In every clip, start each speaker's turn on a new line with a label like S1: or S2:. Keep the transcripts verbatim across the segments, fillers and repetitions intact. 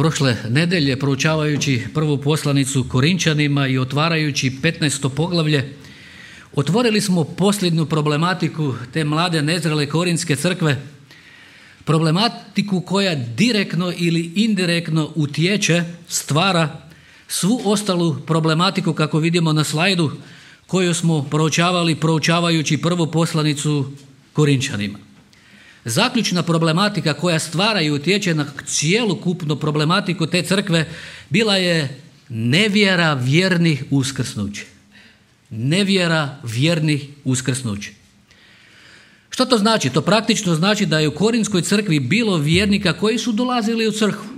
S1: Prošle nedelje, proučavajući prvu poslanicu Korinčanima i otvarajući petnaesto poglavlje, otvorili smo posljednju problematiku te mlade nezrele Korinske crkve, problematiku koja direktno ili indirektno utječe, stvara svu ostalu problematiku, kako vidimo na slajdu, koju smo proučavali proučavajući prvu poslanicu Korinčanima. Zaključna problematika koja stvara i utječe na cijelokupnu problematiku te crkve bila je nevjera vjernih uskrsnuće. Nevjera vjernih uskrsnuće. Što to znači? To praktično znači da je u Korinskoj crkvi bilo vjernika koji su dolazili u crkvu,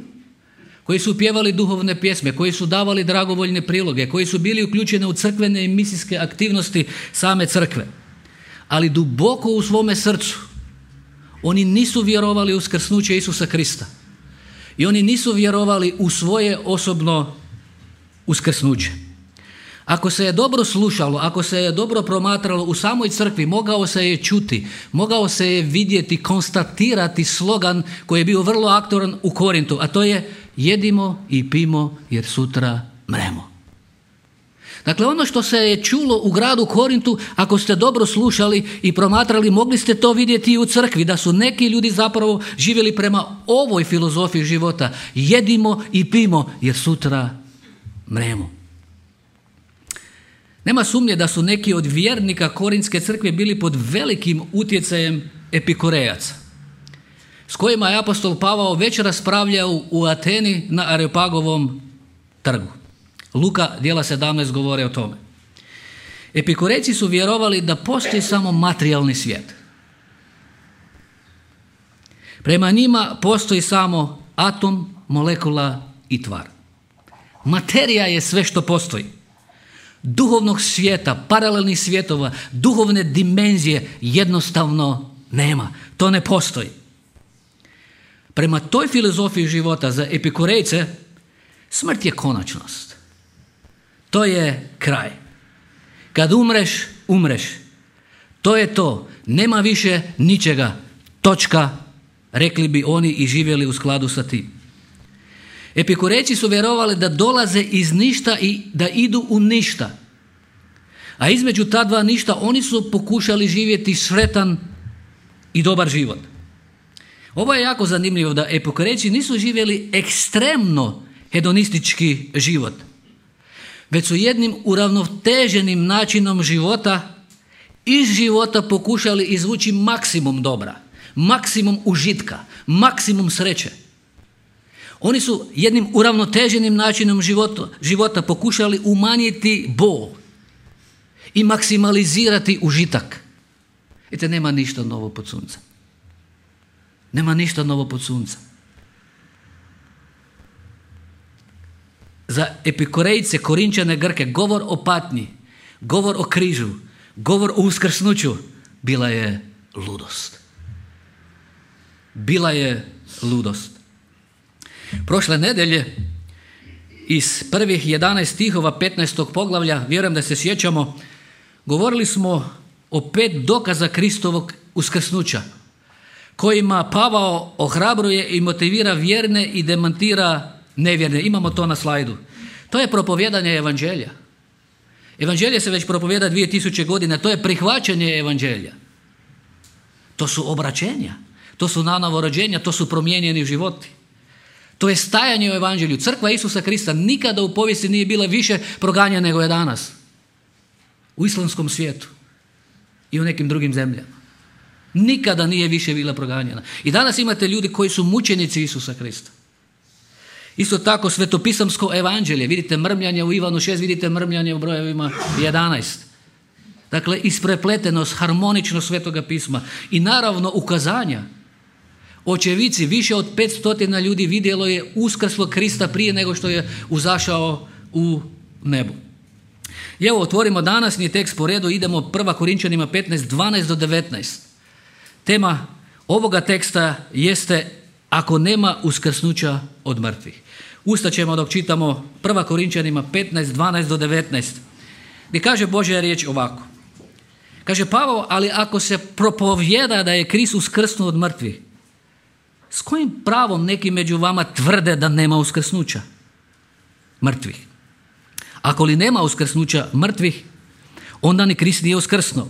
S1: koji su pjevali duhovne pjesme, koji su davali dragovoljne priloge, koji su bili uključeni u crkvene i misijske aktivnosti same crkve. Ali duboko u svome srcu oni nisu vjerovali u uskrsnuće Isusa Krista. I oni nisu vjerovali u svoje osobno uskrsnuće. Ako se je dobro slušalo, ako se je dobro promatralo u samoj crkvi, mogao se je čuti, mogao se je vidjeti, konstatirati slogan koji je bio vrlo aktualan u Korintu, a to je jedimo i pimo jer sutra mremo. Dakle, ono što se je čulo u gradu Korintu, ako ste dobro slušali i promatrali, mogli ste to vidjeti i u crkvi, da su neki ljudi zapravo živjeli prema ovoj filozofiji života. Jedimo i pimo jer sutra mremo. Nema sumnje da su neki od vjernika Korinske crkve bili pod velikim utjecajem epikurejaca, s kojima je apostol Pavao već raspravljao u Ateni na Areopagovom trgu. Luka djela sedamnaest govore o tome. Epikurejci su vjerovali da postoji samo materijalni svijet. Prema njima postoji samo atom, molekula i tvar. Materija je sve što postoji. Duhovnog svijeta, paralelnih svjetova, duhovne dimenzije jednostavno nema. To ne postoji. Prema toj filozofiji života za epikurejce smrt je konačnost. To je kraj. Kad umreš, umreš. To je to. Nema više ničega. Točka, rekli bi oni i živjeli u skladu sa tim. Epikurejci su vjerovali da dolaze iz ništa i da idu u ništa. A između ta dva ništa oni su pokušali živjeti sretan i dobar život. Ovo je jako zanimljivo, da epikurejci nisu živjeli ekstremno hedonistički život, već su jednim uravnoteženim načinom života iz života pokušali izvući maksimum dobra, maksimum užitka, maksimum sreće. Oni su jednim uravnoteženim načinom života, života pokušali umanjiti bol i maksimalizirati užitak. Vidite, nema ništa novo pod suncem. Nema ništa novo pod suncem. Za epikurejce, Korinčane, Grke, govor o patnji, govor o križu, govor o uskrsnuću bila je ludost. Bila je ludost. Prošle nedelje iz prvih jedanaest stihova petnaestog poglavlja, vjerujem da se sjećamo, govorili smo o pet dokaza Kristovog uskrsnuća, kojima Pavao ohrabruje i motivira vjerne i demantira nevjerne. Imamo to na slajdu. To je propovjedanje evanđelja. Evanđelje se već propovjeda dvije tisuće godina. To je prihvaćanje evanđelja. To su obraćenja. To su nanovo rođenja. To su promijenjeni životi. To je stajanje u evanđelju. Crkva Isusa Krista nikada u povijesti nije bila više proganjena nego je danas. U islamskom svijetu i u nekim drugim zemljama. Nikada nije više bila proganjena. I danas imate ljudi koji su mučenici Isusa Krista. Isto tako svetopisamsko evanđelje. Vidite mrmljanje u Ivanu šest, vidite mrmljanje u brojevima jedanaest. Dakle, isprepletenost, harmoničnost Svetoga pisma. I naravno ukazanja. Očevici, više od petsto ljudi vidjelo je uskrslog Krista prije nego što je uzašao u nebu. I evo, otvorimo današnji tekst po redu, idemo prva Korinčanima petnaest, dvanaest do devetnaest. Tema ovoga teksta jeste ako nema uskrsnuća od mrtvih. Ustaćemo dok čitamo prva Korinčanima petnaest, dvanaest do devetnaest. Gdje kaže Božja riječ ovako. Kaže Pavao, ali ako se propovjeda da je Kristus uskrsnuo od mrtvih, S kojim pravom neki među vama tvrde da nema uskrsnuća mrtvih? Ako li nema uskrsnuća mrtvih, onda ni Krist nije uskrsnuo.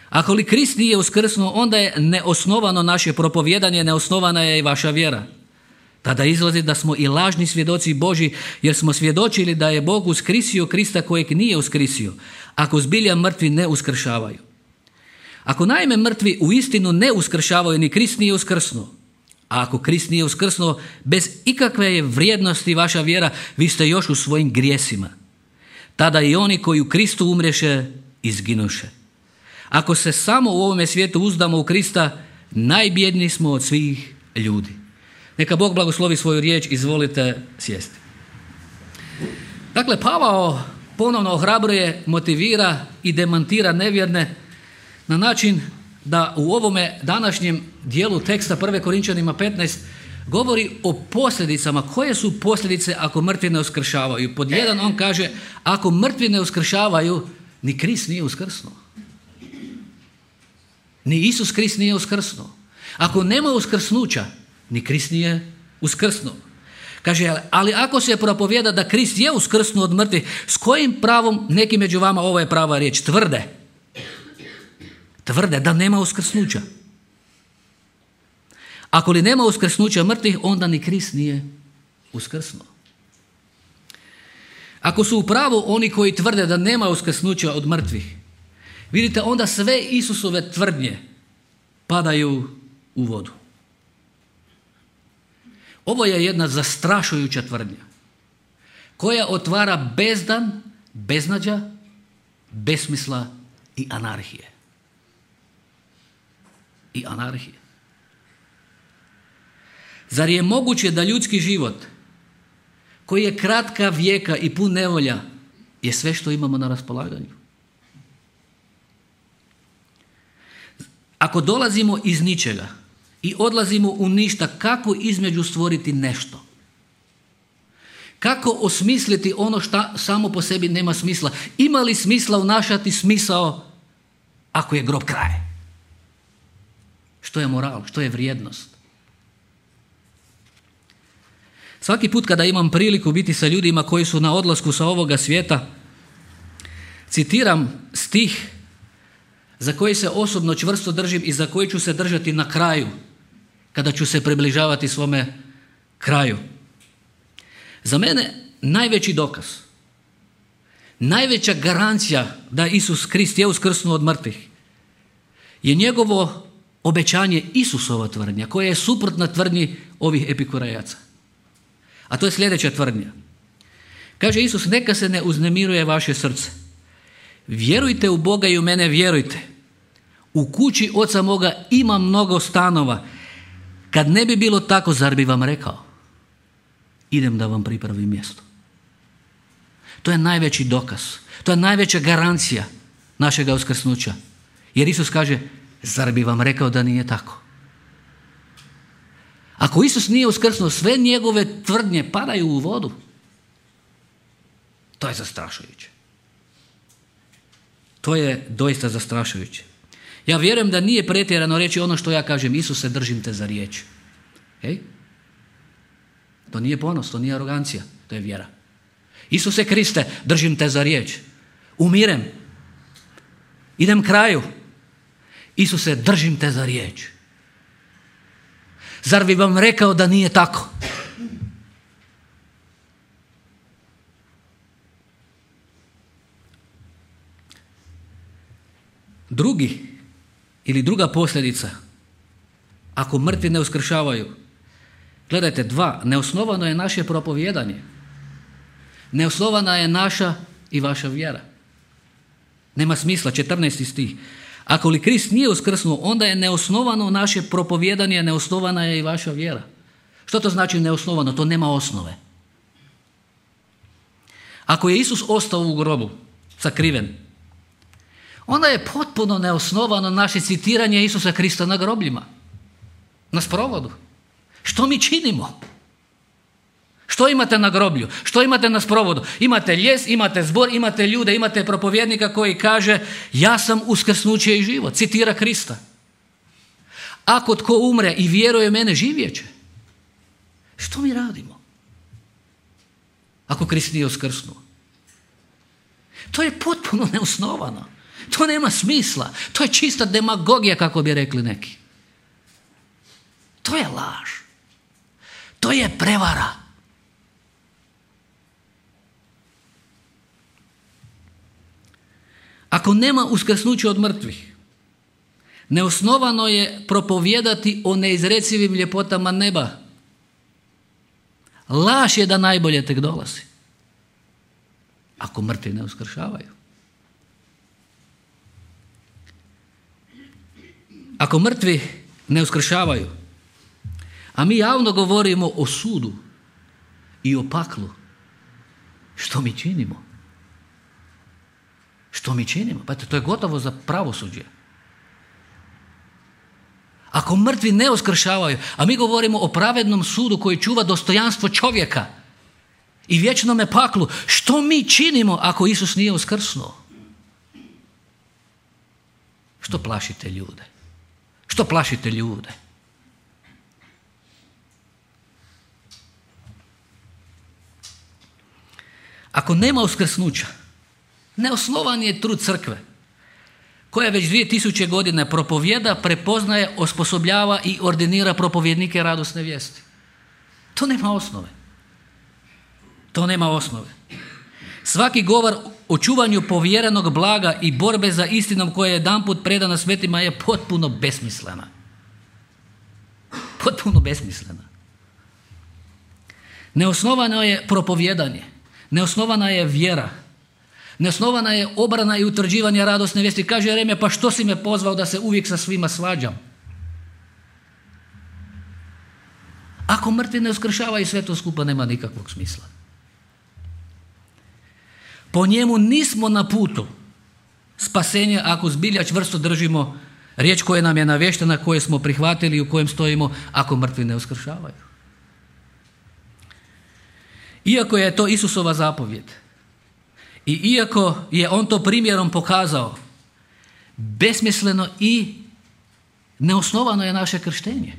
S1: Ako li Krist nije uskrsnuo, onda je neosnovano naše propovijedanje, neosnovana je i vaša vjera. Tada izlazi da smo i lažni svjedoci Božji, jer smo svjedočili da je Bog uskrisio Krista kojeg nije uskrisio, ako zbilja mrtvi ne uskršavaju. Ako naime mrtvi u istinu ne uskršavaju, ni Krist nije uskrsnuo. A ako Krist nije uskrsnuo, bez ikakve je vrijednosti vaša vjera, vi ste još u svojim grijesima. Tada i oni koji u Kristu umreše, izginuše. Ako se samo u ovome svijetu uzdamo u Krista, najbjedniji smo od svih ljudi. Neka Bog blagoslovi svoju riječ, izvolite sjesti. Dakle, Pavao ponovno ohrabruje, motivira i demantira nevjerne na način da u ovome današnjem dijelu teksta prve Korinčanima petnaest govori o posljedicama. Koje su posljedice ako mrtvi ne uskršavaju? Pod jedan on kaže, ako mrtvi ne uskršavaju, ni Krist nije uskrsnuo. Ni Isus Krist nije uskrsnuo. Ako nema uskrsnuća, ni Krist nije uskrsnuo. Kaže, ali ako se propovijeda da Krist je uskrsnuo od mrtvih, s kojim pravom neki među vama, ovo je prava riječ, tvrde? Tvrde da nema uskrsnuća. Ako li nema uskrsnuća mrtvih, onda ni Krist nije uskrsnuo. Ako su u pravu oni koji tvrde da nema uskrsnuća od mrtvih, vidite, onda sve Isusove tvrdnje padaju u vodu. Ovo je jedna zastrašujuća tvrdnja koja otvara bezdan, beznađa, besmisla i anarhije. I anarhije. Zar je moguće da ljudski život, koji je kratka vijeka i pun nevolja, je sve što imamo na raspolaganju? Ako dolazimo iz ničega i odlazimo u ništa, kako između stvoriti nešto? Kako osmisliti ono što samo po sebi nema smisla? Ima li smisla unašati smisao ako je grob kraj? Što je moral? Što je vrijednost? Svaki put kada imam priliku biti sa ljudima koji su na odlasku sa ovoga svijeta, citiram stih za koji se osobno čvrsto držim i za koji ću se držati na kraju, kada ću se približavati svome kraju. Za mene najveći dokaz, najveća garancija da Isus Krist je uskrsnuo od mrtvih je njegovo obećanje, Isusova tvrdnja, koja je suprotna tvrdnji ovih epikurejaca. A to je sljedeća tvrdnja. Kaže Isus, neka se ne uznemiruje vaše srce. Vjerujte u Boga i u mene vjerujte. U kući oca moga ima mnogo stanova. Kad ne bi bilo tako, zar bi vam rekao? Idem da vam pripravim mjesto. To je najveći dokaz. To je najveća garancija našega uskrsnuća. Jer Isus kaže, zar bi vam rekao da nije tako? Ako Isus nije uskrsnuo, sve njegove tvrdnje padaju u vodu. To je zastrašujuće. To je doista zastrašujuće. Ja vjerujem da nije pretjerano reći ono što ja kažem, Isuse, držim te za riječ. Ej? To nije ponos, to nije arogancija, to je vjera. Isuse Kriste, držim te za riječ. Umirem. Idem kraju. Isuse, držim te za riječ. Zar bi vam rekao da nije tako? Drugi ili druga posljedica, ako mrtvi ne uskršavaju, gledajte, dva, neosnovano je naše propovijedanje. Neosnovana je naša i vaša vjera. Nema smisla, četrnaesti stih. Ako li Krist nije uskrsnuo, onda je neosnovano naše propovijedanje, neosnovana je i vaša vjera. Što to znači neosnovano? To nema osnove. Ako je Isus ostao u grobu, sakriven, onda je potpuno neosnovano naše citiranje Isusa Krista na grobljima, na sprovodu. Što mi činimo? Što imate na groblju? Što imate na sprovodu? Imate ljes, imate zbor, imate ljude, imate propovjednika koji kaže ja sam uskrsnuće i život, citira Krista. Ako tko umre i vjeruje u mene, živjet će. Što mi radimo? Ako Krist nije uskrsnuo. To je potpuno neosnovano. To nema smisla. To je čista demagogija, kako bi rekli neki. To je laž. To je prevara. Ako nema uskrsnuća od mrtvih, neosnovano je propovijedati o neizrecivim ljepotama neba. Laž je da najbolje tek dolazi. Ako mrtvi ne uskršavaju. Ako mrtvi ne uskršavaju, a mi javno govorimo o sudu i o paklu, što mi činimo? Što mi činimo? Pa to je gotovo za pravosuđe. Ako mrtvi ne uskršavaju, a mi govorimo o pravednom sudu koji čuva dostojanstvo čovjeka i vječnome paklu, što mi činimo ako Isus nije uskrsnuo? Što plašite ljude? Što plašite ljude? Ako nema uskrsnuća, neosnovan je trud crkve, koja već dvije tisuće godine propovjeda, prepoznaje, osposobljava i ordinira propovjednike radosne vijesti. To nema osnove. To nema osnove. Svaki govor o čuvanju povjerenog blaga i borbe za istinom koja je jedanput predana svetima je potpuno besmislena. Potpuno besmislena. Neosnovano je propovjedanje. Neosnovana je vjera. Neosnovana je obrana i utvrđivanje radosne vijesti. Kaže Jeremija, pa što si me pozvao da se uvijek sa svima svađam? Ako mrtvi ne uskršavaju, sve to skupa nema nikakvog smisla. Po njemu nismo na putu spasenja ako zbilja čvrsto držimo riječ koja nam je navještena, koje smo prihvatili i u kojem stojimo, ako mrtvi ne uskršavaju. Iako je to Isusova zapovjed i iako je on to primjerom pokazao, besmisleno i neosnovano je naše krštenje.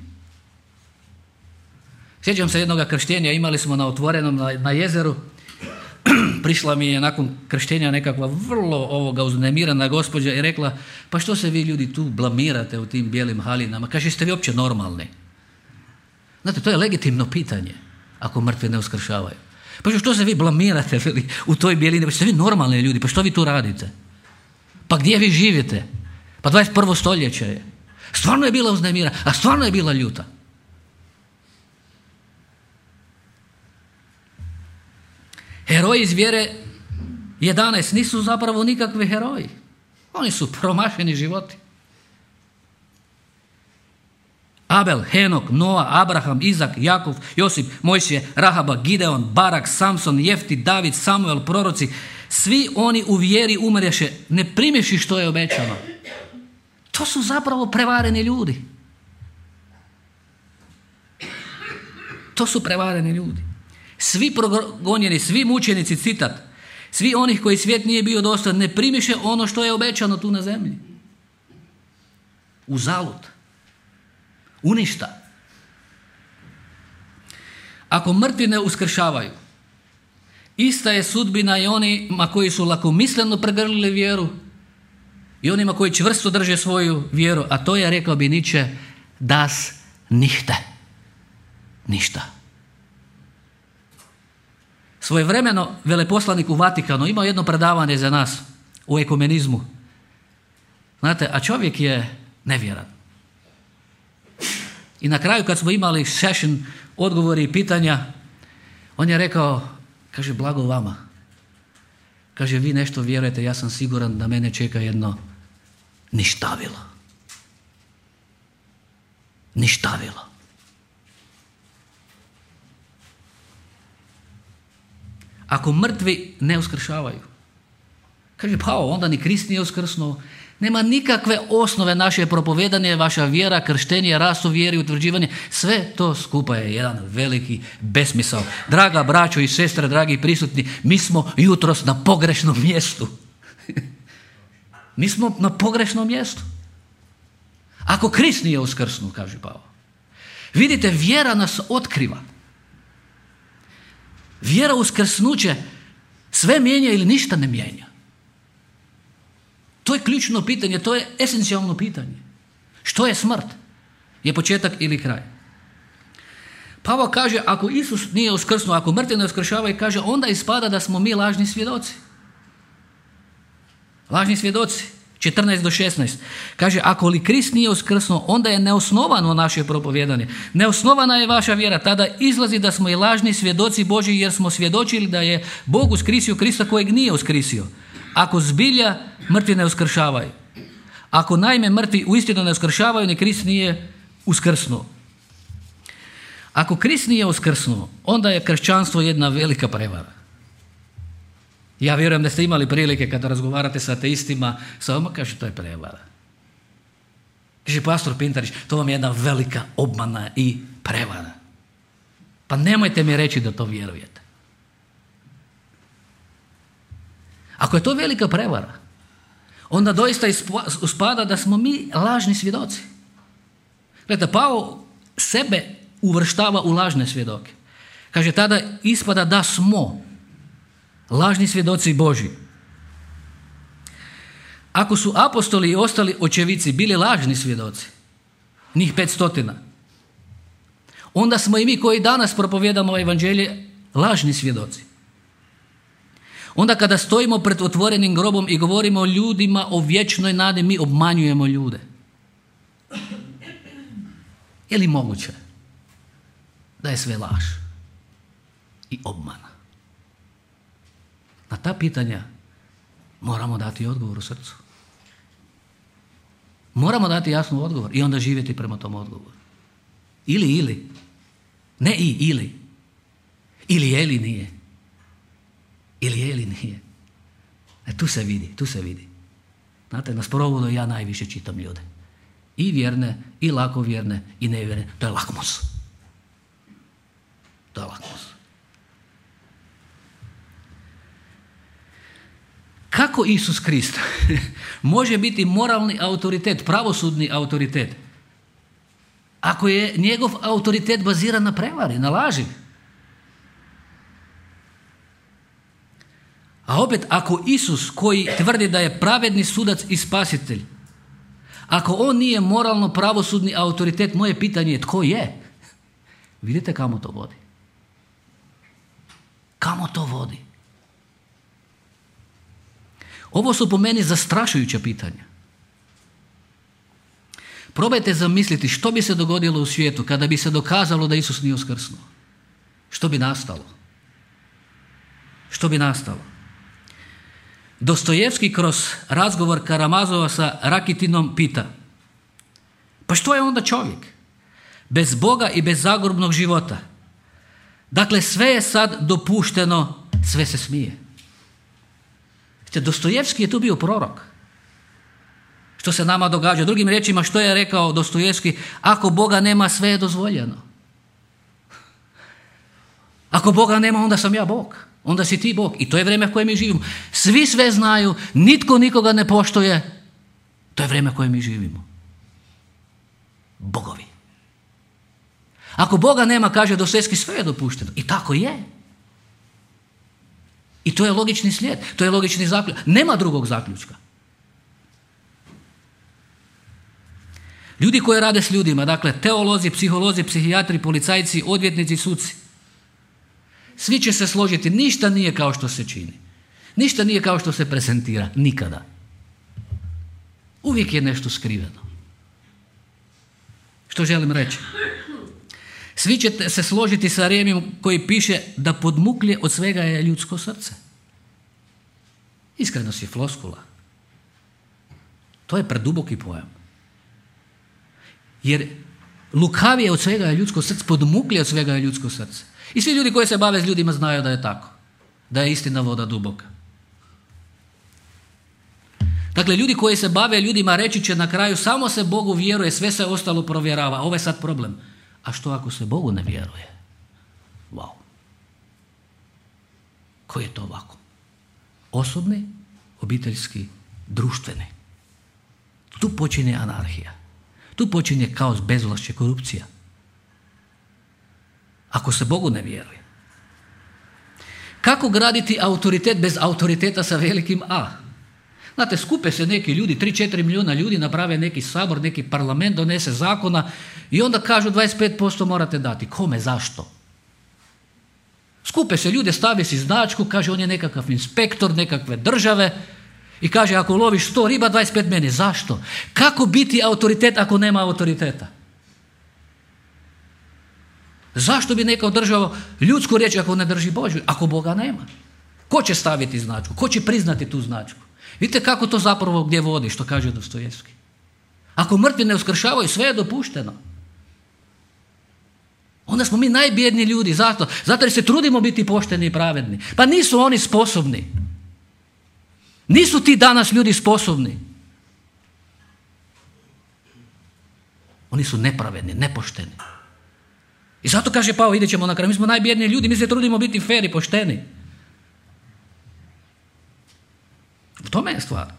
S1: Sjećam se jednoga krštenja, imali smo na otvorenom na, na jezeru. Prišla mi je nakon krštenja nekakva vrlo ovoga uznemirana gospođa i rekla, pa što se vi ljudi tu blamirate u tim bijelim halinama? Kaže, jeste vi uopće normalni? Znate, to je legitimno pitanje ako mrtvi ne uskršavaju. Pa što se vi blamirate u toj bijelini? Pa ste vi normalni ljudi, pa što vi tu radite? Pa gdje vi živite? Pa dvadeset prvo stoljeće je. Stvarno je bila uznemirana, a stvarno je bila ljuta. Heroji iz vjere jedanaest nisu zapravo nikakvi heroji. Oni su promašeni životi. Abel, Henok, Noa, Abraham, Izak, Jakov, Josip, Mojsije, Rahaba, Gideon, Barak, Samson, Jefti, David, Samuel, proroci, svi oni u vjeri umreše, ne primješi što je obećano. To su zapravo prevareni ljudi. To su prevareni ljudi. Svi progonjeni, svi mučenici, citat, svi onih koji svijet nije bio dosta, ne primiše ono što je obećano tu na zemlji. Uzalud. Uništa. Ako mrtvi ne uskršavaju, ista je sudbina i onima koji su lakomisleno pregrlili vjeru i onima koji čvrsto drže svoju vjeru, a to je, rekao bi Nietzsche, das nichte. Ništa. Svojevremeno veleposlanik u Vatikanu imao jedno predavanje za nas u ekumenizmu. Znate, a čovjek je nevjeran. I na kraju kad smo imali session, odgovori i pitanja, on je rekao, kaže, blago vama. Kaže, vi nešto vjerujete, ja sam siguran da mene čeka jedno ništavilo. Ništavilo. Ako mrtvi ne uskršavaju, kaže, pa onda ni Krist nije uskrsnuo. Nema nikakve osnove naše propovedanje, vaša vjera, krštenje, rast u vjeri, utvrđivanje. Sve to skupa je jedan veliki besmisao. Draga braćo i sestre, dragi prisutni, mi smo jutros na pogrešnom mjestu. Mi smo na pogrešnom mjestu. Ako Krist nije uskrsnuo, kaže Pavao. Vidite, vjera nas otkriva. Vjera uskrsnuće sve mijenja ili ništa ne mijenja. To je ključno pitanje, to je esencijalno pitanje. Što je smrt? Je početak ili kraj? Pavao kaže, ako Isus nije uskrsnuo, ako mrtvi ne uskršavaju, kaže, onda ispada da smo mi lažni svjedoci. Lažni svjedoci. četrnaest do šesnaest. Kaže, ako li Krist nije uskrsnuo, onda je neosnovano naše propovijedanje. Neosnovana je vaša vjera. Tada izlazi da smo i lažni svjedoci Božji, jer smo svjedočili da je Bog uskrisio Krista kojeg nije uskrisio. Ako zbilja mrtvi ne uskršavaju. Ako naime mrtvi uistinu ne uskršavaju, ni Krist nije uskrsnuo. Ako Krist nije uskrsnuo, onda je kršćanstvo jedna velika prevara. Ja vjerujem da ste imali prilike kada razgovarate sa ateistima, sa vama kaže, to je prevara. Kaže pastor Pintarić, to vam je jedna velika obmana i prevara. Pa nemojte mi reći da to vjerujete. Ako je to velika prevara, onda doista uspada da smo mi lažni svjedoci. Gledajte, Pavao sebe uvrštava u lažne svjedoke. Kaže, tada ispada da smo lažni svjedoci Božji. Ako su apostoli i ostali očevici bili lažni svjedoci, njih petstotina, onda smo i mi koji danas propovijedamo evanđelje lažni svjedoci. Onda kada stojimo pred otvorenim grobom i govorimo o ljudima, o vječnoj nadi, mi obmanjujemo ljude. Je li moguće da je sve laž i obmana? Na ta pitanja moramo dati odgovor u srcu. Moramo dati jasnu odgovor i onda živjeti prema tom odgovoru. Ili, ili. Ne i, ili. Ili je, ili nije. Ili je, ili nije. E, tu se vidi, tu se vidi. Znate, na sprovodu ja najviše čitam ljude. I vjerne, i lakovjerne, i nevjerne. To je lakmus. To je lakmus. Kako Isus Krist može biti moralni autoritet, pravosudni autoritet, ako je njegov autoritet baziran na prevari, na laži? A opet, ako Isus koji tvrdi da je pravedni sudac i spasitelj, ako on nije moralno pravosudni autoritet, moje pitanje je tko je? Vidite kamo to vodi? Kamo to vodi? Ovo su po meni zastrašujuća pitanja. Probajte zamisliti što bi se dogodilo u svijetu kada bi se dokazalo da Isus nije uskrsnuo. Što bi nastalo? Što bi nastalo? Dostojevski kroz razgovor Karamazova sa Rakitinom pita: pa što je onda čovjek? Bez Boga i bez zagrobnog života. Dakle, sve je sad dopušteno, sve se smije. Dostojevski je tu bio prorok. Što se nama događa? Drugim riječima, što je rekao Dostojevski? Ako Boga nema, sve je dozvoljeno. Ako Boga nema, onda sam ja Bog. Onda si ti Bog. I to je vrijeme u kojem mi živimo. Svi sve znaju, nitko nikoga ne poštuje. To je vrijeme u kojem mi živimo. Bogovi. Ako Boga nema, kaže Dostojevski, sve je dopušteno. I tako je. I to je logični slijed, to je logični zaključak. Nema drugog zaključka. Ljudi koji rade s ljudima, dakle teolozi, psiholozi, psihijatri, policajci, odvjetnici, suci, svi će se složiti, ništa nije kao što se čini. Ništa nije kao što se prezentira, nikada. Uvijek je nešto skriveno. Što želim reći? Svi ćete se složiti sa Rijemom koji piše da podmuklje od svega je ljudsko srce. Iskrenost je floskula. To je preduboki pojam. Jer lukavije od svega je ljudsko srce, podmuklje od svega je ljudsko srce. I svi ljudi koji se bave s ljudima znaju da je tako. Da je istina voda duboka. Dakle, ljudi koji se bave ljudima reći će na kraju samo se Bogu vjeruje, sve se ostalo provjerava. Ovo je sad problem. A što ako se Bogu ne vjeruje? Wow. Koji je to ovako? Osobni, obiteljski, društveni. Tu počinje anarhija. Tu počinje kaos, bezvlašće, korupcija. Ako se Bogu ne vjeruje. Kako graditi autoritet bez autoriteta sa velikim A? Znate, skupe se neki ljudi, tri do četiri milijuna ljudi, naprave neki sabor, neki parlament, donese zakona i onda kažu dvadeset pet posto morate dati. Kome, zašto? Skupe se ljude, stave si značku, kaže on je nekakav inspektor nekakve države i kaže ako loviš sto riba, dvadeset pet meni. Zašto? Kako biti autoritet ako nema autoriteta? Zašto bi neka održao ljudsku riječ ako ne drži Božju, ako Boga nema? Ko će staviti značku? Ko će priznati tu značku? Vidite kako to zapravo gdje vodi, što kaže Dostojevski. Ako mrtvi ne uskršavaju, sve je dopušteno. Onda smo mi najbjedniji ljudi. Zato, zato jer se trudimo biti pošteni i pravedni. Pa nisu oni sposobni. Nisu ti danas ljudi sposobni. Oni su nepravedni, nepošteni. I zato kaže Pavao, idit ćemo na kraj, mi smo najbjedniji ljudi, mi se trudimo biti fer i pošteni. U tome je stvar.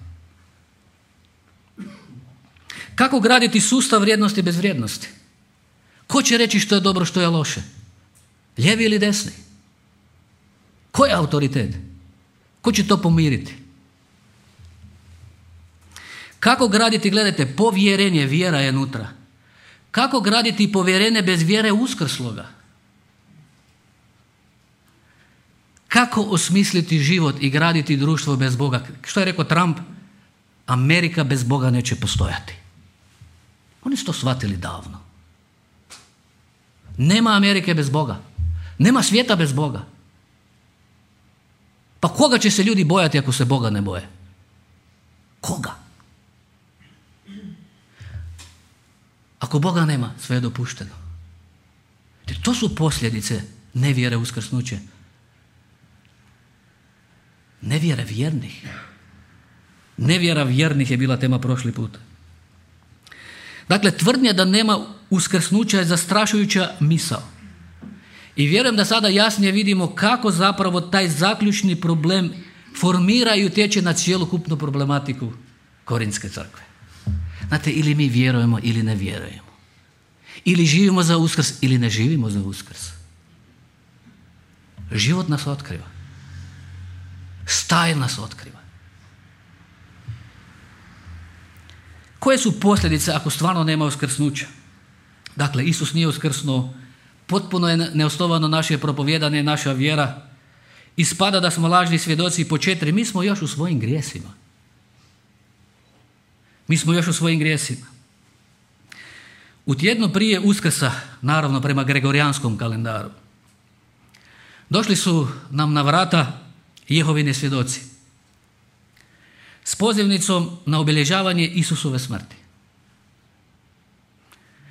S1: Kako graditi sustav vrijednosti bez vrijednosti? Ko će reći što je dobro, što je loše? Lijevi ili desni? Ko je autoritet? Ko će to pomiriti? Kako graditi, gledajte, povjerenje, vjera je unutra. Kako graditi povjerenje bez vjere uskrsloga? Kako osmisliti život i graditi društvo bez Boga? Što je rekao Trump? Amerika bez Boga neće postojati. Oni su to shvatili davno. Nema Amerike bez Boga. Nema svijeta bez Boga. Pa koga će se ljudi bojati ako se Boga ne boje? Koga? Ako Boga nema, sve je dopušteno. Jer to su posljedice nevjere uskrsnuće. Nevjera vjernih. Nevjera vjernih je bila tema prošli put. Dakle, tvrdnja da nema uskrsnuća je zastrašujuća misao. I vjerujem da sada jasnije vidimo kako zapravo taj zaključni problem formira i utječe na cjelokupnu problematiku Korinske crkve. Znate, ili mi vjerujemo ili ne vjerujemo. Ili živimo za Uskrs ili ne živimo za Uskrs. Život nas otkriva. Stajl nas otkriva. Koje su posljedice ako stvarno nema uskrsnuća? Dakle, Isus nije uskrsnuo, potpuno je neosnovano naše propovijedanje, naša vjera. Ispada da smo lažni svjedoci po četiri, mi smo još u svojim grijesima. Mi smo još u svojim grijesima. U tjednu prije Uskrsa, naravno prema gregorijanskom kalendaru, došli su nam na vrata Jehovini svjedoci s pozivnicom na obilježavanje Isusove smrti.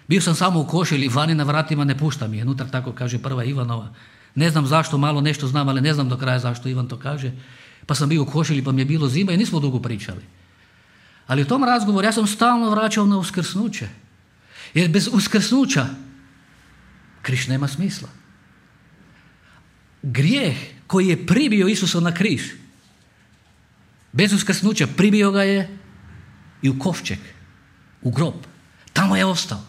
S1: Bio sam samo u košilji, vani na vratima ne pušta mi je, unutar tako kaže prva Ivanova. Ne znam zašto, malo nešto znam, ali ne znam do kraja zašto Ivan to kaže. Pa sam bio u košilji, pa mi je bilo zima i nismo dugo pričali. Ali u tom razgovoru ja sam stalno vraćao na uskrsnuće. Jer bez uskrsnuća križ nema smisla. Grijeh koji je pribio Isusa na križ, bez uskrsnuća pribio ga je i u kovčeg, u grob. Tamo je ostao.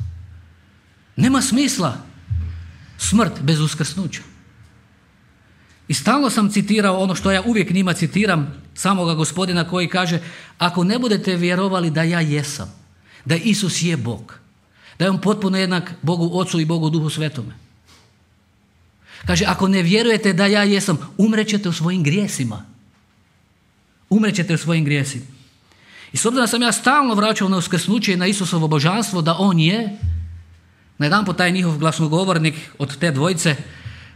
S1: Nema smisla smrt bez uskrsnuća. I stalno sam citirao ono što ja uvijek njima citiram, samoga Gospodina koji kaže, ako ne budete vjerovali da ja jesam, da Isus je Bog, da je on potpuno jednak Bogu Ocu i Bogu Duhu Svetome. Kaže, ako ne vjerujete da ja jesam, umrećete u svojim grijesima. Umrećete u svojim grijesima. I s obzirom da sam ja stalno vraćao na uskrsnuće i na Isusovo božanstvo, da on je, na jedan po taj njihov glasnogovornik od te dvojice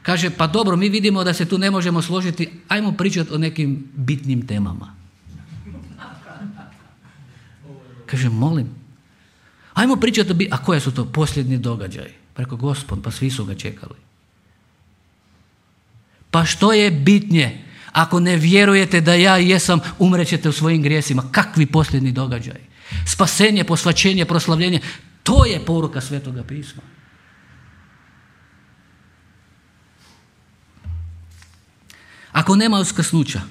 S1: kaže, pa dobro, mi vidimo da se tu ne možemo složiti, ajmo pričati o nekim bitnim temama. Kaže, molim, ajmo pričati o, a koje su to posljednji događaji? Preko Gospod, pa svi su ga čekali. Pa što je bitnije? Ako ne vjerujete da ja jesam, umrećete u svojim grijesima. Kakvi posljednji događaji? Spasenje, posvaćenje, proslavljenje. To je poruka Svetoga pisma. Ako nema uskrsnuća,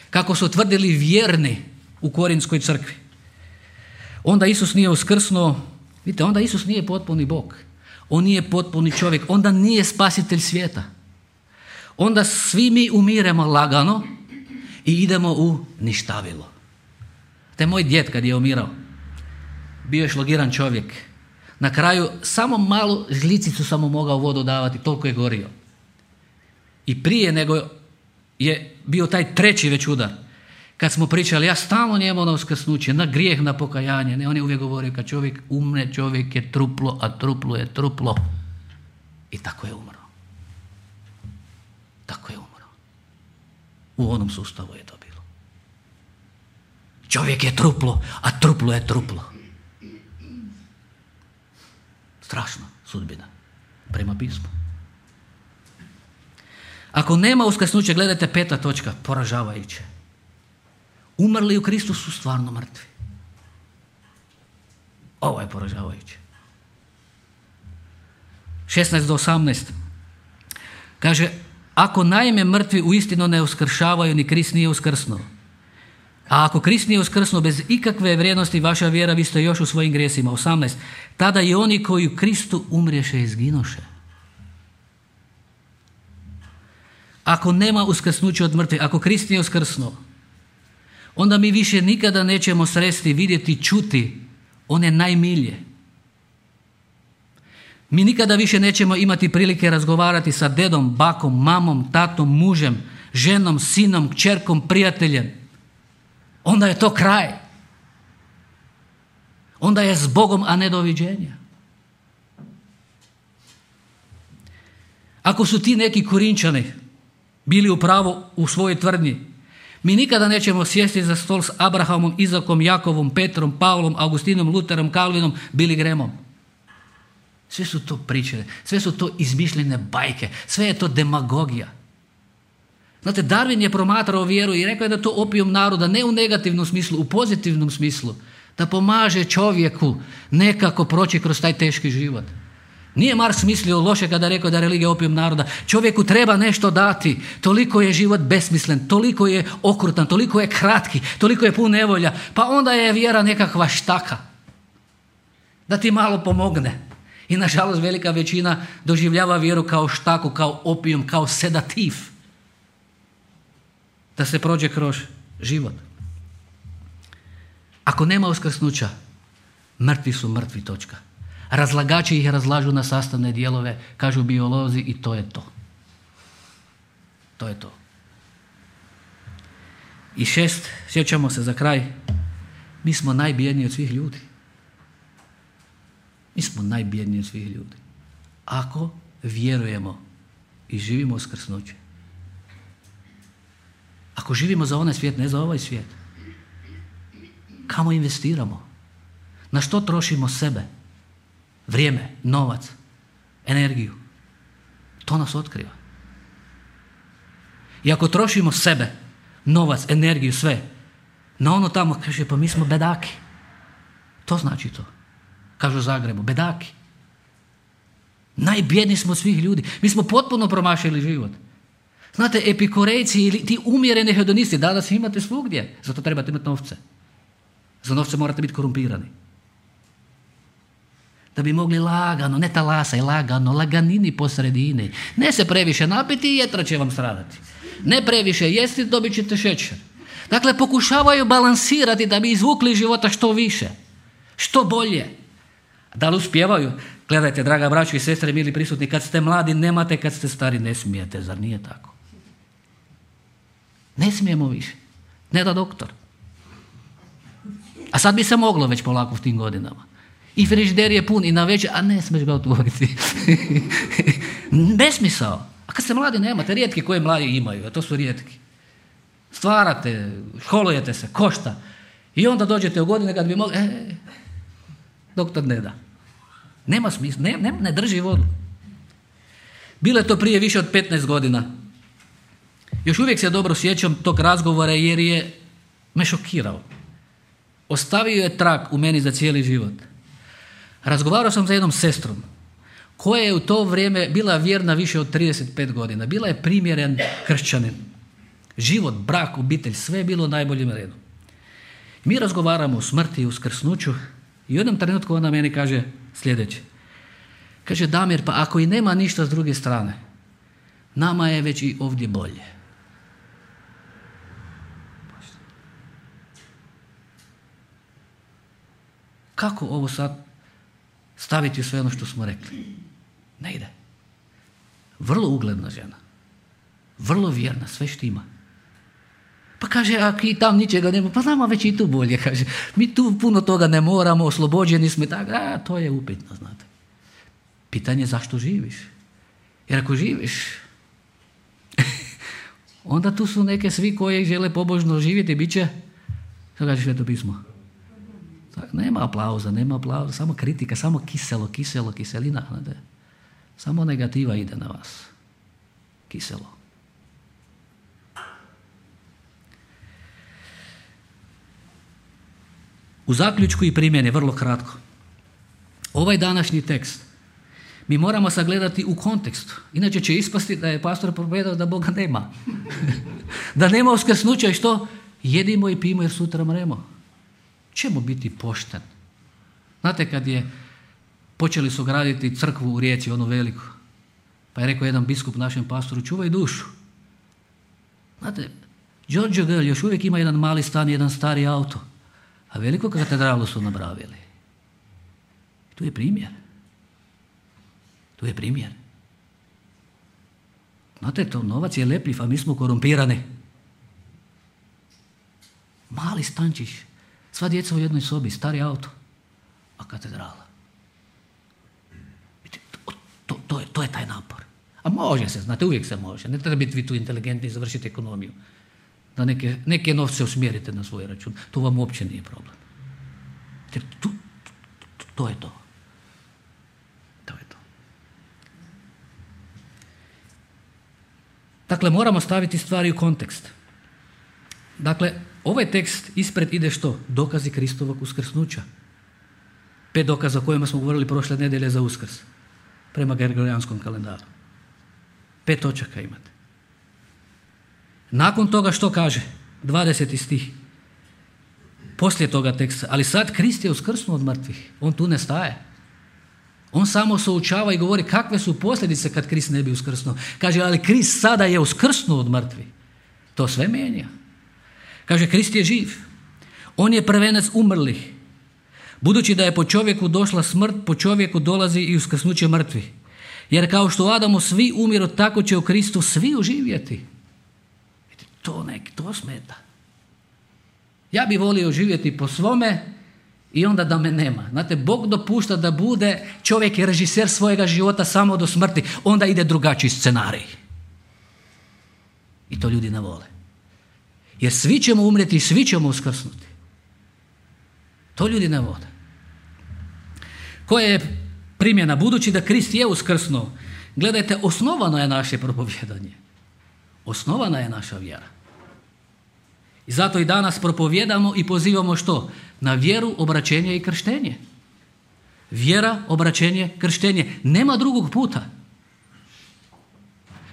S1: kako su tvrdili vjerni u Korinskoj crkvi, onda Isus nije uskrsnuo Vidite, onda Isus nije potpuni Bog. On nije potpuni čovjek. Onda nije spasitelj svijeta. Onda svi mi umiremo lagano i idemo u ništavilo. Te moj djed kad je umirao, bio je šlogiran čovjek. Na kraju samo malu žlicicu sam mu mogao vodu davati, toliko je gorio. I prije nego je bio taj treći već udar, kad smo pričali, ja stalno njemu na uskrsnuće, na grijeh, na pokajanje. Ne, on je uvijek govorio, kad čovjek umre, čovjek je truplo, a truplo je truplo. I tako je umro. Tako je umro. U onom sustavu je to bilo. Čovjek je truplo, a truplo je truplo. Strašna sudbina prema pismu. Ako nema uskrsnuća, gledajte peta točka, poražavajuće. Umrli u Kristu su stvarno mrtvi. Ovo je poražavajuće. šesnaest do osamnaest. Kaže, ako naime mrtvi uistinu ne uskršavaju, ni Krist nije uskrsnuo. A ako Krist nije uskrsnuo bez ikakve vrijednosti vaša vjera, vi ste još u svojim grijesima. osamnaest. Tada i oni koji u Kristu umriješe izginoše. Ako nema uskrsnuća od mrtvih, ako Krist nije uskrsnuo, onda mi više nikada nećemo sresti, vidjeti, čuti one najmilje. Mi nikada više nećemo imati prilike razgovarati sa dedom, bakom, mamom, tatom, mužem, ženom, sinom, kćerkom, prijateljem. Onda je to kraj. Onda je s Bogom, a ne doviđenja. Ako su ti neki Korinčani bili u pravu u svojoj tvrdnji, mi nikada nećemo sjesti za stol s Abrahamom, Izakom, Jakovom, Petrom, Pavlom, Augustinom, Luterom, Kalvinom, Billy Grahamom. Sve su to priče, sve su to izmišljene bajke, sve je to demagogija. Znate, Darwin je promatrao vjeru i rekao je da to opijum naroda, ne u negativnom smislu, u pozitivnom smislu, da pomaže čovjeku nekako proći kroz taj teški život. Nije Marks mislio loše kada je rekao da je religija opijum naroda. Čovjeku treba nešto dati, toliko je život besmislen, toliko je okrutan, toliko je kratki, toliko je pun nevolja, pa onda je vjera nekakva štaka. Da ti malo pomogne. I nažalost velika većina doživljava vjeru kao štaku, kao opijum, kao sedativ. Da se prođe kroz život. Ako nema uskrsnuća, mrtvi su mrtvi, točka. Razlagači ih razlažu na sastavne dijelove, kažu biolozi, i to je to. To je to. I šest, sjećamo se za kraj, mi smo najbjedniji od svih ljudi. Mi smo najbjedniji od svih ljudi. Ako vjerujemo i živimo uskrsnuće. Ako živimo za onaj svijet, ne za ovaj svijet. Kamo investiramo? Na što trošimo sebe? Vrijeme, novac, energiju. To nas otkriva. I ako trošimo sebe, novac, energiju, sve, na ono tamo, kaže, pa mi smo bedaki. To znači to. Kažu u Zagrebu, bedaki. Najbjedniji smo od svih ljudi. Mi smo potpuno promašili život. Znate, epikurejci ili ti umjereni hedonisti, danas imate svugdje. Zato trebate imati novce. Za novce morate biti korumpirani. Da bi mogli lagano, ne talasaj, lagano, laganini po sredini. Ne se previše napiti i jetra će vam stradati. Ne previše jesti, dobit ćete šećer. Dakle, pokušavaju balansirati da bi izvukli života što više. Što bolje. Da li uspijevaju? Gledajte, draga braćo i sestre, mili prisutni, kad ste mladi nemate, kad ste stari ne smijete, zar nije tako? Ne smijemo više. Ne da doktor. A sad bi se moglo već polako u tim godinama. I frižider je pun i na večer, a ne smiješ ga otvoriti. Besmisao. A kad ste mladi nemate, rijetki koji mladi imaju, a to su rijetki. Stvarate, školujete se, košta. I onda dođete u godine kad bi mogli, e, doktor ne da. Nema smisla, ne, ne, ne drži vodu. Bilo je to prije više od petnaest godina. Još uvijek se dobro sjećam tog razgovora jer je me šokirao. Ostavio je trag u meni za cijeli život. Razgovarao sam sa jednom sestrom koja je u to vrijeme bila vjerna više od trideset pet godina. Bila je primjeren kršćanin. Život, brak, obitelj, sve je bilo u najboljem redu. Mi razgovaramo o smrti i uskrsnuću I u jednom trenutku ona meni kaže sljedeće. Kaže, Damir, pa ako i nema ništa s druge strane, nama je već i ovdje bolje. Kako ovo sad staviti u sve ono što smo rekli? Ne ide. Vrlo ugledna žena. Vrlo vjerna, sve štima. Pa kaže, ako i tam ničega nema, pa nama već i tu bolje, kaže. Mi tu puno toga ne moramo, oslobođeni smo, tako, a to je upitno, znate. Pitanje je zašto živiš. Jer ako živiš, onda tu su neke svi koji žele pobožno živjeti, bit će, što kaže Sveto pismo? Tak, nema aplauza, nema aplauza, samo kritika, samo kiselo, kiselo, kiselina, znate. Samo negativa ide na vas. Kiselo. U zaključku i primjeni, vrlo kratko. Ovaj današnji tekst mi moramo sagledati u kontekstu. Inače će ispasti da je pastor propovedao da Boga nema. Da nema uskrsnuća i što? Jedimo i pijemo jer sutra mremo. Čemu biti pošten? Znate kad je počeli su graditi crkvu u Rijeci, onu veliku, pa je rekao jedan biskup našem pastoru, čuvaj dušu. Znate, Giorgio Gell još uvijek ima jedan mali stan, jedan stari auto, a veliku katedralu su napravili. Tu je primjer. Tu je primjer. Znate, to novac je lepljiv, a mi smo korumpirani. Mali stančić, sva djeca u jednoj sobi, stari auto, a katedrala. To, to, to, je, to je taj napor. A može se, znate, uvijek se može. Ne treba biti vi tu inteligentni i završiti ekonomiju. Da neke, neke novce usmjerite na svoj račun. To vam uopće nije problem. Jer tu, to, to je to. To je to. Dakle, moramo staviti stvari u kontekst. Dakle, ovaj tekst ispred ide što? Dokazi Kristovog uskrsnuća. Pet dokaza o kojima smo govorili prošle nedjelje za Uskrs. Prema Gregorijanskom kalendaru. Pet točaka imate. Nakon toga što kaže? dvadeseti stih. Poslije toga teksta. Ali sad Krist je uskrsnuo od mrtvih. On tu ne staje. On samo součava i govori kakve su posljedice kad Krist ne bi uskrsnuo. Kaže, ali Krist sada je uskrsnuo od mrtvih. To sve mijenja. Kaže, Krist je živ. On je prvenac umrlih. Budući da je po čovjeku došla smrt, po čovjeku dolazi i uskrsnuće mrtvih. Jer kao što u Adamu svi umiru, tako će u Kristu svi uživjeti. To nek, to smeta. Ja bi volio živjeti po svome i onda da me nema. Znate, Bog dopušta da bude čovjek je režiser svojega života samo do smrti. Onda ide drugačiji scenarij. I to ljudi ne vole. Jer svi ćemo umrijeti i svi ćemo uskrsnuti. To ljudi ne vole. Koja je primjena? Budući da Krist je uskrsnuo, gledajte, osnovano je naše propovijedanje. Osnovana je naša vjera. I zato i danas propovijedamo i pozivamo što? Na vjeru, obraćenje i krštenje. Vjera, obraćenje, krštenje. Nema drugog puta.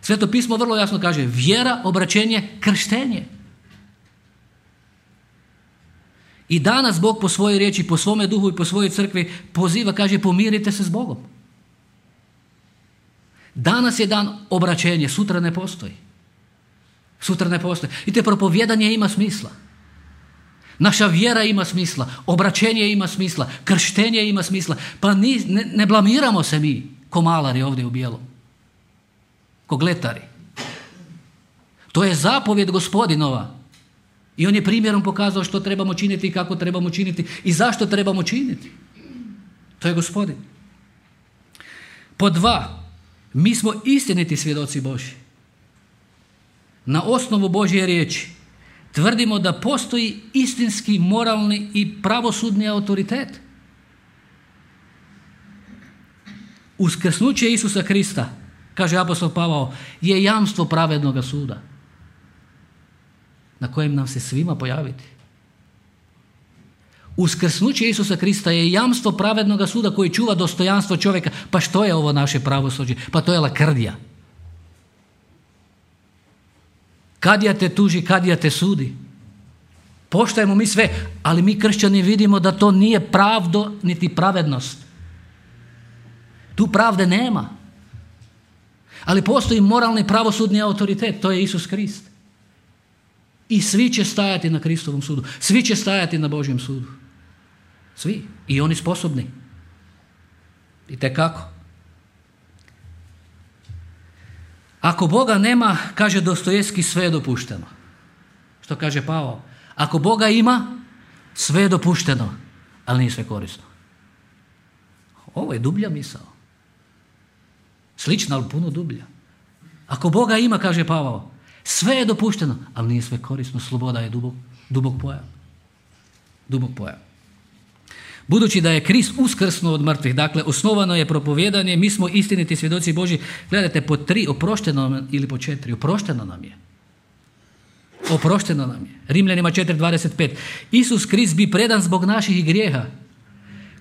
S1: Sveto pismo vrlo jasno kaže vjera, obraćenje, krštenje. I danas Bog po svojoj riječi, po svome duhu i po svojoj crkvi poziva, kaže pomirite se s Bogom. Danas je dan obraćenje, sutra ne postoji. Sutra ne postoji. I te propovijedanje ima smisla. Naša vjera ima smisla, obraćenje ima smisla, krštenje ima smisla. Pa ni, ne, ne blamiramo se mi, ko malari ovdje u bijelom. Ko gletari. To je zapovjed Gospodinova. I on je primjerom pokazao što trebamo činiti i kako trebamo činiti i zašto trebamo činiti. To je Gospodin. Po dva, mi smo istiniti svjedoci Božji. Na osnovu Božje riječi tvrdimo da postoji istinski, moralni i pravosudni autoritet. Uskrsnuće Isusa Krista, kaže apostol Pavao, je jamstvo pravednoga suda na kojem nam se svima pojaviti. Uskrsnuće Isusa Krista je jamstvo pravednoga suda koji čuva dostojanstvo čovjeka. Pa što je ovo naše pravosuđe? Pa to je lakrdija. Kadija te tuži, kadija te sudi. Poštajemo mi sve, ali mi kršćani vidimo da to nije pravdo niti pravednost. Tu pravde nema. Ali postoji moralni pravosudni autoritet, to je Isus Krist. I svi će stajati na Kristovom sudu. Svi će stajati na Božjem sudu. Svi. I oni sposobni. I tekako. Ako Boga nema, kaže Dostojevski, sve je dopušteno. Što kaže Pavao? Ako Boga ima, sve je dopušteno, ali nije sve korisno. Ovo je dublja misao. Slična, ali puno dublja. Ako Boga ima, kaže Pavao, sve je dopušteno, ali nije sve korisno. Sloboda je dubok, dubok pojam. Dubok pojam. Budući da je Krist uskrsnuo od mrtvih, dakle osnovano je propovijedanje, mi smo istiniti svjedoci Božji. Gledajte, po tri, oprošteno nam, ili po četiri, oprošteno nam je. Oprošteno nam je. Rimljanima četiri dvadeset pet. Isus Krist bi predan zbog naših grijeha.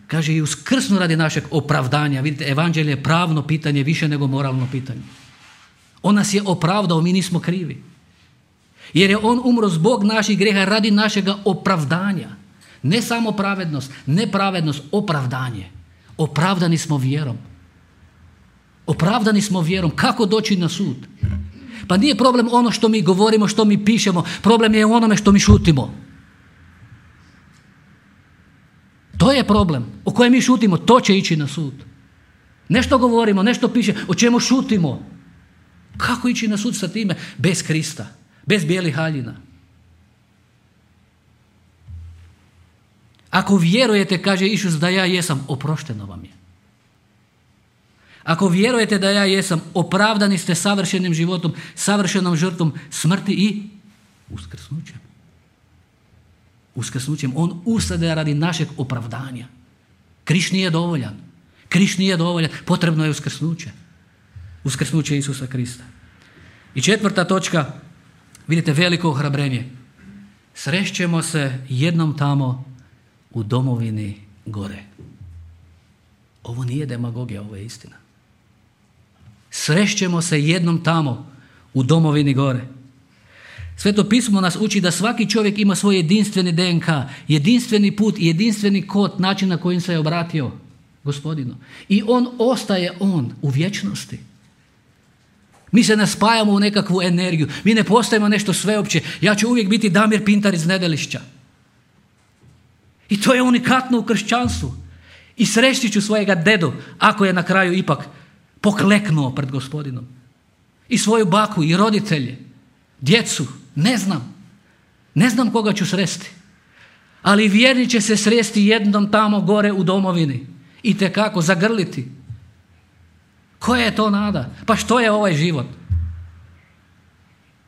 S1: Kaže i uskrsnu radi našeg opravdanja. Vidite, evanđelje je pravno pitanje više nego moralno pitanje. On nas je opravdao, mi nismo krivi. Jer je on umro zbog naših grijeha radi našega opravdanja. Ne samo pravednost, ne pravednost, opravdanje. Opravdani smo vjerom. Opravdani smo vjerom. Kako doći na sud? Pa nije problem ono što mi govorimo, što mi pišemo. Problem je u onome što mi šutimo. To je problem. O kojem mi šutimo, to će ići na sud. Nešto govorimo, nešto piše, o čemu šutimo. Kako ići na sud sa time? Bez Krista, bez bijelih haljina. Ako vjerujete, kaže Isus, da ja jesam, oprošteno vam je. Ako vjerujete da ja jesam, opravdani ste savršenim životom, savršenom žrtvom smrti i uskrsnućem. Uskrsnućem. On ustade radi našeg opravdanja. Križ nije dovoljan. Križ nije dovoljan. Potrebno je uskrsnuće. Uskrsnuće Isusa Krista. I četvrta točka, vidite, veliko ohrabrenje. Srešćemo se jednom tamo u domovini gore. Ovo nije demagogija, ovo je istina. Srešćemo se jednom tamo u domovini gore. Sveto pismo nas uči da svaki čovjek ima svoj jedinstveni D N K, jedinstveni put i jedinstveni kod, način na kojim se je obratio Gospodinu. I on ostaje on u vječnosti. Mi se ne spajamo u nekakvu energiju, mi ne postajemo nešto sveopće. Ja ću uvijek biti Damir Pintar iz Nedelišća. I to je unikatno u kršćanstvu. I sreštit ću svojega dedu, ako je na kraju ipak pokleknuo pred Gospodinom. I svoju baku i roditelje, djecu, ne znam. Ne znam koga ću sresti. Ali vjerni će se sresti jednom tamo gore u domovini. I tekako zagrliti. Koja je to nada? Pa što je ovaj život?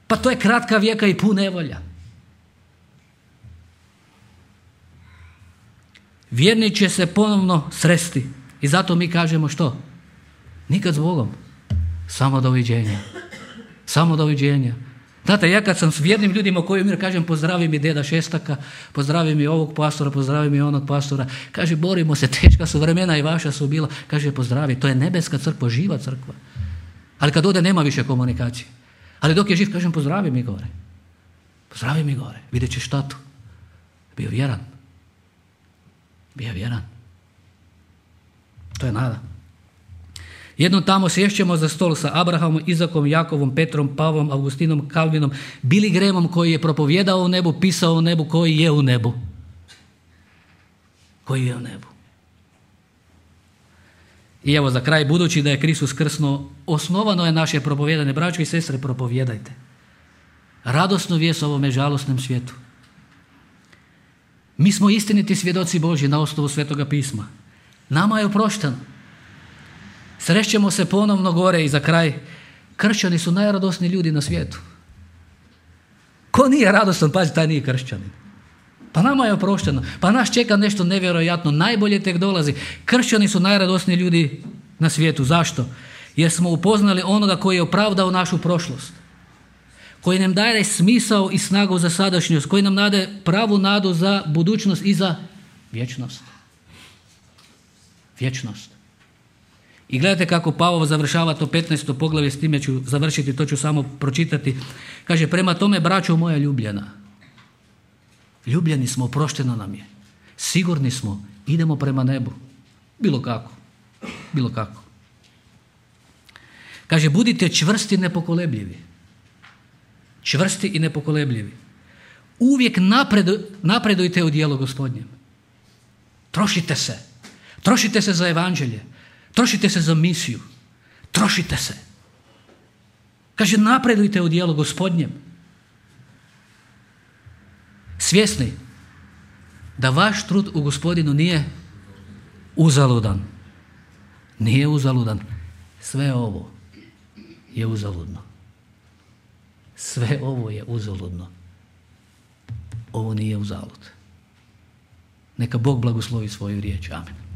S1: Pa to je kratka vijeka i pun nevolja. Vjerni će se ponovno sresti. I zato mi kažemo što? Nikad s Bogom. Samo doviđenja. Samo doviđenja. Znate, ja kad sam s vjernim ljudima koji mir kažem pozdravi mi deda Šestaka, pozdravi mi ovog pastora, pozdravi mi onog pastora, kaže borimo se, teška su vremena i vaša su bila, kaže pozdravi, to je nebeska crkva, živa crkva. Ali kad ode nema više komunikacije. Ali dok je živ, kažem pozdravi mi gore. Pozdravi mi gore, vidjet ćeš tatu. Bio vjeran. Bio vjeran. To je nada. Jednom tamo sješćemo za stol sa Abrahamom, Izakom, Jakovom, Petrom, Pavlom, Augustinom, Kalvinom, Billy Grahamom koji je propovjedao u nebu, pisao u nebu, koji je u nebu. Koji je u nebu. I evo za kraj, budući da je Kristus uskrsnuo, osnovano je naše propovjedanje. Braćo i sestre, propovjedajte. Radosnu vijest ovome žalosnom svijetu. Mi smo istiniti svjedoci Božji na osnovu Svetoga pisma. Nama je oprošteno. Srešćemo se ponovno gore i za kraj. Kršćani su najradosniji ljudi na svijetu. Ko nije radostan, pazi, taj nije kršćanin. Pa nama je oprošteno. Pa nas čeka nešto nevjerojatno. Najbolje tek dolazi. Kršćani su najradosniji ljudi na svijetu. Zašto? Jer smo upoznali onoga koji je opravdao našu prošlost. Koji nam daje smisao i snagu za sadašnjost. Koji nam daje pravu nadu za budućnost i za vječnost. Vječnost. I gledajte kako Pavao završava to petnaesto poglavlje, s time ću završiti, to ću samo pročitati. Kaže, prema tome, braćo moja ljubljena, ljubljeni smo, oprošteno nam je. Sigurni smo, idemo prema nebu. Bilo kako. Bilo kako. Kaže, budite čvrsti i nepokolebljivi. Čvrsti i nepokolebljivi. Uvijek napredu, napredujte u djelu Gospodnjem. Trošite se. Trošite se za evanđelje. Trošite se za misiju. Trošite se. Kaže, napredujte u djelu Gospodnjem. Svjesni da vaš trud u Gospodinu nije uzaludan. Nije uzaludan. Sve ovo je uzaludno. Sve ovo je uzaludno. Ovo nije uzalud. Neka Bog blagoslovi svoju riječ. Amen.